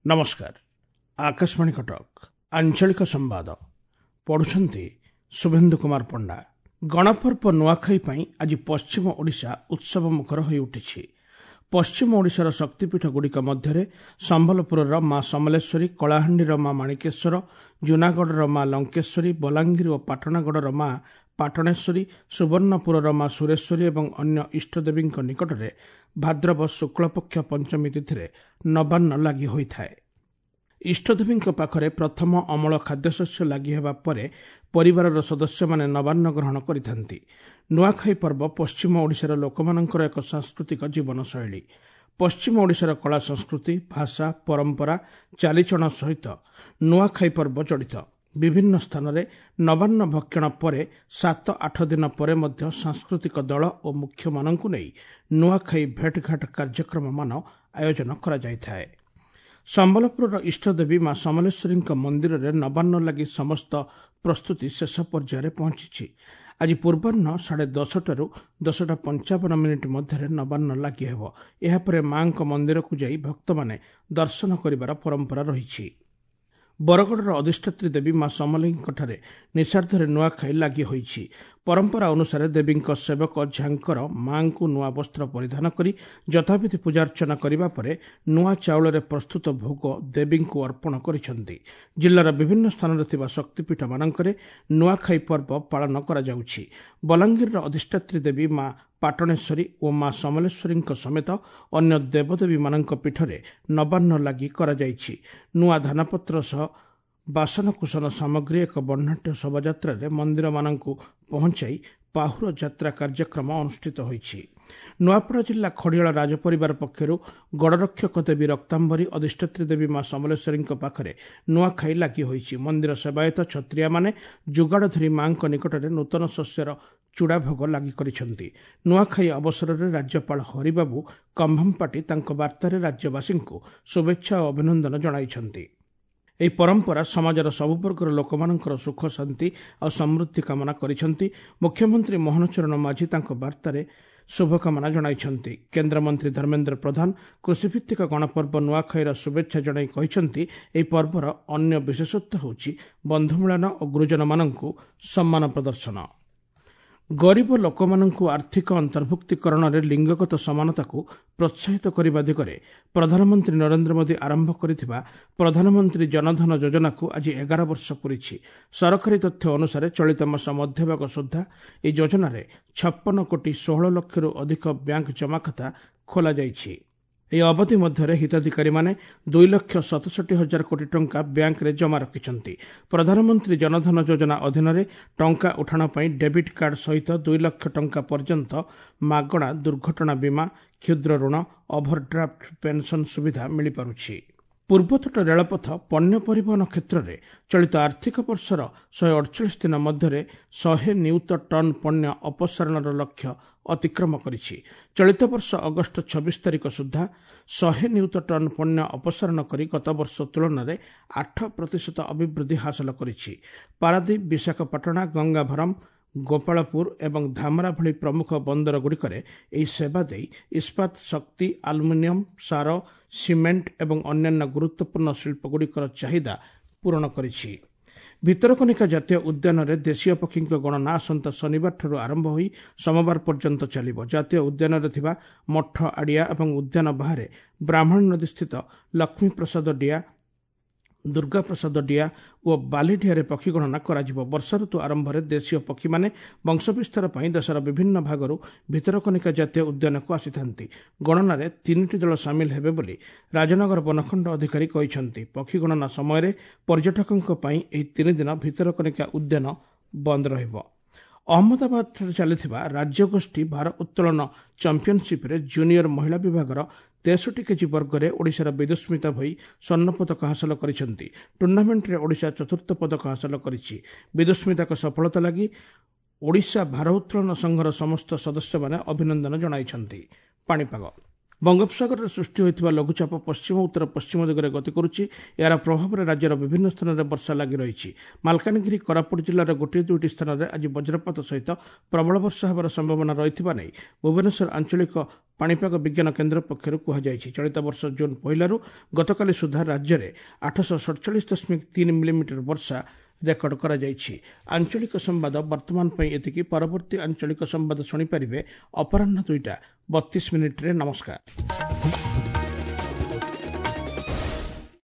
ନମସ୍କାର, ଆକାଶବାଣୀ କଟକ, ଆଞ୍ଚଳିକ ସମ୍ବାଦ ପଢୁଛନ୍ତି ଶୁଭେନ୍ଦୁ କୁମାର ପଣ୍ଡା। ଗଣପର୍ବ ନୂଆଖାଇ ପାଇଁ ଆଜି ପଶ୍ଚିମ ଓଡ଼ିଶା ଉତ୍ସବ ମୁଖର ହୋଇଉଠିଛି। ପଶ୍ଚିମ ଓଡ଼ିଶାର ଶକ୍ତିପୀଠଗୁଡ଼ିକ ମଧ୍ୟରେ ସମ୍ବଲପୁରର ମା ସମଲେଶ୍ୱରୀ, କଳାହାଣ୍ଡିର ମା ମାଣିକେଶ୍ୱର, ଜୁନାଗଡ଼ର ମା ଲଙ୍କେଶ୍ୱରୀ, ବଲାଙ୍ଗୀର ଓ ପାଟଣାଗଡ଼ର ମା ପାଟଣେଶ୍ୱରୀ, ସୁବର୍ଣ୍ଣପୁରର ମା ସୁରେଶ୍ୱରୀ ଏବଂ ଅନ୍ୟ ଇଷ୍ଟଦେବୀଙ୍କ ନିକଟରେ ଭାଦ୍ରବ ଶୁକ୍ଳପକ୍ଷ ପଞ୍ଚମୀ ତିଥିରେ ନବାନ୍ନ ଲାଗି ହୋଇଥାଏ। ଇଷ୍ଟଦେବୀଙ୍କ ପାଖରେ ପ୍ରଥମ ଅମଳ ଖାଦ୍ୟଶସ୍ୟ ଲାଗି ହେବା ପରେ ପରିବାରର ସଦସ୍ୟମାନେ ନବାନ୍ନ ଗ୍ରହଣ କରିଥାନ୍ତି। ନୂଆଖାଇ ପର୍ବ ପଶ୍ଚିମ ଓଡ଼ିଶାର ଲୋକମାନଙ୍କର ଏକ ସାଂସ୍କୃତିକ ଜୀବନଶୈଳୀ। ପଶ୍ଚିମ ଓଡ଼ିଶାର କଳା ସଂସ୍କୃତି, ଭାଷା, ପରମ୍ପରା, ଚାଲିଚଳଣ ସହିତ ନୂଆଖାଇ ପର୍ବ ଜଡ଼ିତ। ବିଭିନ୍ନ ସ୍ଥାନରେ ନବାନ୍ନ ଭକ୍ଷଣ ପରେ 7-8 ଦିନ ପରେ ମଧ୍ୟ ସାଂସ୍କୃତିକ ଦଳ ଓ ମୁଖ୍ୟମାନଙ୍କୁ ନେଇ ନୂଆଖାଇ ଭେଟଘାଟ କାର୍ଯ୍ୟକ୍ରମମାନ ଆୟୋଜନ କରାଯାଇଥାଏ। ସମ୍ବଲପୁରର ଇଷ୍ଟଦେବୀ ମା ସମଲେଶ୍ୱରୀଙ୍କ ମନ୍ଦିରରେ ନବାନ୍ନ ଲାଗି ସମସ୍ତ ପ୍ରସ୍ତୁତି ଶେଷ ପର୍ଯ୍ୟାୟରେ ପହଞ୍ଚିଛି। ଆଜି ପୂର୍ବାହ୍ନ 10:30ରୁ 10:55 ମଧ୍ୟରେ ନବାନ୍ନ ଲାଗି ହେବ। ଏହାପରେ ମାଙ୍କ ମନ୍ଦିରକୁ ଯାଇ ଭକ୍ତମାନେ ଦର୍ଶନ କରିବାର ପରମ୍ପରା ରହିଛି। ବରଗଡ଼ର ଅଧିଷ୍ଠାତ୍ରୀ ଦେବୀ ମା ସମଲେଇଙ୍କଠାରେ ନିଶାର୍ଦ୍ଧରେ ନୂଆଖାଇ ଲାଗି ହୋଇଛି। ପରମ୍ପରା ଅନୁସାରେ ଦେବୀଙ୍କ ସେବକ ଝାଙ୍କର ମାଙ୍କୁ ନୂଆ ବସ୍ତ୍ର ପରିଧାନ କରି ଯଥାବିଧି ପୂଜାର୍ଚ୍ଚନା କରିବା ପରେ ନୂଆ ଚାଉଳରେ ପ୍ରସ୍ତୁତ ଭୋଗ ଦେବୀଙ୍କୁ ଅର୍ପଣ କରିଛନ୍ତି। ଜିଲ୍ଲାର ବିଭିନ୍ନ ସ୍ଥାନରେ ଥିବା ଶକ୍ତିପୀଠମାନଙ୍କରେ ନୂଆଖାଇ ପର୍ବ ପାଳନ କରାଯାଉଛି। ବଲାଙ୍ଗୀରର ଅଧିଷ୍ଠାତ୍ରୀ ଦେବୀ ମା ପାଟଣେଶ୍ୱରୀ ଓ ମା ସମଲେଶ୍ୱରୀଙ୍କ ସମେତ ଅନ୍ୟ ଦେବଦେବୀମାନଙ୍କ ପୀଠରେ ନବାନ୍ନ ଲାଗି କରାଯାଇଛି। ନୂଆ ଧାନପତ୍ର ସହ ବାସନକୁସନ ସାମଗ୍ରୀ ଏକ ବର୍ଣ୍ଣାଢ୍ୟ ଶୋଭାଯାତ୍ରାରେ ମନ୍ଦିରମାନଙ୍କୁ ପହଞ୍ଚାଇ ପାହୁର ଯାତ୍ରା କାର୍ଯ୍ୟକ୍ରମ ଅନୁଷ୍ଠିତ ହୋଇଛି। ନୂଆପଡ଼ା ଜିଲ୍ଲା ଖଡ଼ିଆଳ ରାଜପରିବାର ପକ୍ଷରୁ ଗଡ଼ରକ୍ଷକ ଦେବୀ ରକ୍ତାମ୍ବରୀ, ଅଧିଷ୍ଠାତ୍ରୀ ଦେବୀ ମା ସମଲେଶ୍ୱରୀଙ୍କ ପାଖରେ ନୂଆଖାଇ ଲାଗି ହୋଇଛି। ମନ୍ଦିର ସେବାୟତ ଛତ୍ରିଆମାନେ ଯୁଗାଡ଼ ଧରି ମାଙ୍କ ନିକଟରେ ନୂତନ ଶସ୍ୟର ଚୂଡ଼ା ଭୋଗ ଲାଗି କରିଛନ୍ତି। ନୂଆଖାଇ ଅବସରରେ ରାଜ୍ୟପାଳ ହରିବାବୁ କମ୍ଭମପାଟି ତାଙ୍କ ବାର୍ତ୍ତାରେ ରାଜ୍ୟବାସୀଙ୍କୁ ଶୁଭେଚ୍ଛା ଓ ଅଭିନନ୍ଦନ ଜଣାଇଛନ୍ତି। ଏହି ପରମ୍ପରା ସମାଜର ସବୁ ବର୍ଗର ଲୋକମାନଙ୍କର ସୁଖ, ଶାନ୍ତି ଆଉ ସମୃଦ୍ଧି କାମନା କରିଛନ୍ତି। ମୁଖ୍ୟମନ୍ତ୍ରୀ ମୋହନ ଚରଣ ମାଝୀ ତାଙ୍କ ବାର୍ତ୍ତାରେ ଶୁଭକାମନା ଜଣାଇଛନ୍ତି। କେନ୍ଦ୍ରମନ୍ତ୍ରୀ ଧର୍ମେନ୍ଦ୍ର ପ୍ରଧାନ କୃଷିଭିତ୍ତିକ ଗଣପର୍ବ ନୂଆଖାଇର ଶୁଭେଚ୍ଛା ଜଣାଇ କହିଛନ୍ତି, ଏହି ପର୍ବର ଅନ୍ୟ ବିଶେଷତ୍ୱ ହେଉଛି ବନ୍ଧୁମିଳନ ଓ ଗୁରୁଜନମାନଙ୍କୁ ସମ୍ମାନ ପ୍ରଦର୍ଶନ। ଗରିବ ଲୋକମାନଙ୍କୁ ଆର୍ଥିକ ଅନ୍ତର୍ଭୁକ୍ତୀକରଣରେ ଲିଙ୍ଗଗତ ସମାନତାକୁ ପ୍ରୋତ୍ସାହିତ କରିବା ଦିଗରେ ପ୍ରଧାନମନ୍ତ୍ରୀ ନରେନ୍ଦ୍ର ମୋଦି ଆରମ୍ଭ କରିଥିବା ପ୍ରଧାନମନ୍ତ୍ରୀ ଜନଧନ ଯୋଜନାକୁ ଆଜି 11 ବର୍ଷ ପୂରିଛି। ସରକାରୀ ତଥ୍ୟ ଅନୁସାରେ ଚଳିତ ମାସ ମଧ୍ୟଭାଗ ସୁଦ୍ଧା ଏହି ଯୋଜନାରେ 56 କୋଟି 16 ଲକ୍ଷରୁ ଅଧିକ ବ୍ୟାଙ୍କ ଜମାଖାତା ଖୋଲାଯାଇଛି। ଏହି ଅବଧି ମଧ୍ୟରେ ହିତାଧିକାରୀମାନେ 2,67,000 କୋଟି ଟଙ୍କା ବ୍ୟାଙ୍କରେ ଜମା ରଖିଛନ୍ତି। ପ୍ରଧାନମନ୍ତ୍ରୀ ଜନଧନ ଯୋଜନା ଅଧୀନରେ ଟଙ୍କା ଉଠାଣ ପାଇଁ ଡେବିଟ୍ କାର୍ଡ ସହିତ 2 ଲକ୍ଷ ଟଙ୍କା ପର୍ଯ୍ୟନ୍ତ ମାଗଣା ଦୁର୍ଘଟଣା ବୀମା, କ୍ଷୁଦ୍ର ଋଣ, ଓଭରଡ୍ରାଫ୍ଟ, ପେନ୍ସନ୍ ସୁବିଧା ମିଳିପାରୁଛି। ପୂର୍ବତଟ ରେଳପଥ ପଣ୍ୟ ପରିବହନ କ୍ଷେତ୍ରରେ ଚଳିତ ଆର୍ଥିକ ବର୍ଷର 148 ଦିନ ମଧ୍ୟରେ 100 ନିୟୁତ ଟନ୍ ପଣ୍ୟ ଅପସାରଣର ଲକ୍ଷ୍ୟ ଅତିକ୍ରମ କରିଛି। ଚଳିତ ବର୍ଷ ଅଗଷ୍ଟ 26 ତାରିଖ ସୁଦ୍ଧା 100 ନିୟୁତ ଟନ୍ ପଣ୍ୟ ଅପସାରଣ କରି ଗତବର୍ଷ ତୁଳନାରେ 8% ଅଭିବୃଦ୍ଧି ହାସଲ କରିଛି। ପାରାଦୀପ, ବିଶାଖାପାଟଣା, ଗଙ୍ଗାଭରମ, ଗୋପାଳପୁର ଏବଂ ଧାମରା ଭଳି ପ୍ରମୁଖ ବନ୍ଦରଗୁଡ଼ିକରେ ଏହି ସେବା ଦେଇ ଇସ୍ପାତ, ଶକ୍ତି, ଆଲୁମିନିୟମ, ସାର, ସିମେଣ୍ଟ ଏବଂ ଅନ୍ୟାନ୍ୟ ଗୁରୁତ୍ୱପୂର୍ଣ୍ଣ ଶିଳ୍ପଗୁଡ଼ିକର ଚାହିଦା ପୂରଣ କରିଛି। ଭିତରକନିକା ଜାତୀୟ ଉଦ୍ୟାନରେ ଦେଶୀୟ ପକ୍ଷୀଙ୍କ ଗଣନା ଆସନ୍ତା ଶନିବାରଠାରୁ ଆରମ୍ଭ ହୋଇ ସୋମବାର ପର୍ଯ୍ୟନ୍ତ ଚାଲିବ। ଜାତୀୟ ଉଦ୍ୟାନରେ ଥିବା ମଠ ଆଡ଼ିଆ ଏବଂ ଉଦ୍ୟାନ ବାହାରେ ବ୍ରାହ୍ମଣୀ ନଦୀସ୍ଥିତ ଲକ୍ଷ୍ମୀପ୍ରସାଦ ଡିଆ, ଦୁର୍ଗାପ୍ରସାଦ ଡିଆ ଓ ବାଲିଡିଆରେ ପକ୍ଷୀ ଗଣନା କରାଯିବ। ବର୍ଷା ଋତୁ ଆରମ୍ଭରେ ଦେଶୀୟ ପକ୍ଷୀମାନେ ବଂଶବିସ୍ତାର ପାଇଁ ଦେଶର ବିଭିନ୍ନ ଭାଗରୁ ଭିତରକନିକା ଜାତୀୟ ଉଦ୍ୟାନକୁ ଆସିଥାନ୍ତି। ଗଣନାରେ 3ଟି ଦଳ ସାମିଲ ହେବେ ବୋଲି ରାଜନଗର ବନଖଣ୍ଡ ଅଧିକାରୀ କହିଛନ୍ତି। ପକ୍ଷୀ ଗଣନା ସମୟରେ ପର୍ଯ୍ୟଟକଙ୍କ ପାଇଁ ଏହି 3 ଦିନ ଭିତରକନିକା ଉଦ୍ୟାନ ବନ୍ଦ ରହିବ। ଅହମ୍ମଦାବାଦଠାରେ ଚାଲିଥିବା ରାଜ୍ୟଗୋଷ୍ଠୀ ଭାର ଉତ୍ତୋଳନ ଚାମ୍ପିୟନସିପ୍ରେ ଜୁନିୟର ମହିଳା ବିଭାଗର 63 କେଜି ବର୍ଗରେ ଓଡ଼ିଶାର ବିଦୁସ୍ମିତା ଭୋଇ ସ୍ୱର୍ଣ୍ଣ ପଦକ ହାସଲ କରିଛନ୍ତି। ଟୁର୍ଣ୍ଣାମେଣ୍ଟରେ ଓଡ଼ିଶା ଚତୁର୍ଥ ପଦକ ହାସଲ କରିଛି। ବିଦୁସ୍ମିତାଙ୍କ ସଫଳତା ଲାଗି ଓଡ଼ିଶା ଭାର ଉତ୍ତୋଳନ ସଂଘର ସମସ୍ତ ସଦସ୍ୟମାନେ ଅଭିନନ୍ଦନ ଜଣାଇଛନ୍ତି। ପାଣିପାଗ। ବଙ୍ଗୋପସାଗରରେ ସୃଷ୍ଟି ହୋଇଥିବା ଲଘୁଚାପ ପଶ୍ଚିମ ଉତ୍ତର ପଶ୍ଚିମ ଦିଗରେ ଗତି କରୁଛି। ଏହାର ପ୍ରଭାବରେ ରାଜ୍ୟର ବିଭିନ୍ନ ସ୍ଥାନରେ ବର୍ଷା ଲାଗି ରହିଛି। ମାଲକାନଗିରି, କୋରାପୁଟ ଜିଲ୍ଲାର ଗୋଟିଏ ଦୁଇଟି ସ୍ଥାନରେ ଆଜି ବଜ୍ରପାତ ସହିତ ପ୍ରବଳ ବର୍ଷା ହେବାର ସମ୍ଭାବନା ରହିଥିବା ନେଇ ଭୁବନେଶ୍ୱର ଆଞ୍ଚଳିକ ପାଣିପାଗ ବିଜ୍ଞାନ କେନ୍ଦ୍ର ପକ୍ଷରୁ କୁହାଯାଇଛି। ଚଳିତ ବର୍ଷ ଜୁନ୍ 1ରୁ ଗତକାଲି ସୁଦ୍ଧା ରାଜ୍ୟରେ 847.3 ମିଲିମିଟର ବର୍ଷା ରେକର୍ଡ କରାଯାଇଛି। ଆଞ୍ଚଳିକ ସମ୍ବାଦ ବର୍ତ୍ତମାନ ପାଇଁ ଏତିକି। ପରବର୍ତ୍ତୀ ଆଞ୍ଚଳିକ ସମ୍ବାଦ ଶୁଣିପାରିବେ ଅପରାହ୍ନ 2ଟା 32 ମିନିଟ୍ରେ। ନମସ୍କାର।